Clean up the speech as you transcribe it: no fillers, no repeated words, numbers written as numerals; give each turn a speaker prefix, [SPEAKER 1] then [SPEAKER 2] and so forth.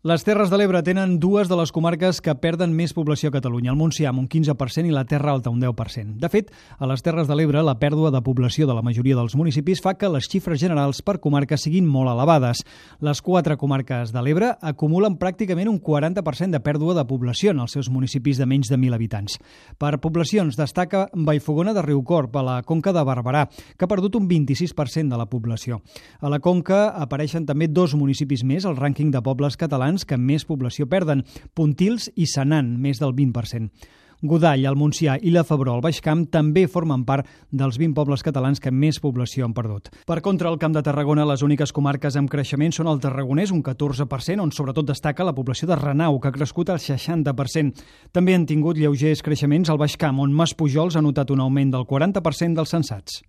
[SPEAKER 1] Les Terres de l'Ebre tenen dues de les comarques que perden més població a Catalunya, el Montsià amb un 15% i la Terra Alta un 10%. De fet, a les Terres de l'Ebre la pèrdua de població de la majoria dels municipis fa que les xifres generals per comarca siguin molt elevades. Les 4 comarques de l'Ebre acumulen pràcticament un 40% de pèrdua de població en els seus municipis de menys de 1.000 habitants. Per poblacions destaca Vallfogona de Riucorb, a la Conca de Barberà, que ha perdut un 26% de la població. A la Conca apareixen també 2 municipis més al rànquing de pobles catalans que més població perden, Pontils i Senan, més del 20%. Godall, el Montsià i la Febró, al Baix Camp, també formen part dels 20 pobles catalans que més població han perdut. Per contra, al Camp de Tarragona, les úniques comarques amb creixement són el Tarragonès, un 14%, on sobretot destaca la població de Renau, que ha crescut al 60%. També han tingut lleugers creixements al Baix Camp, on Maspujols ha notat un augment del 40% dels censats.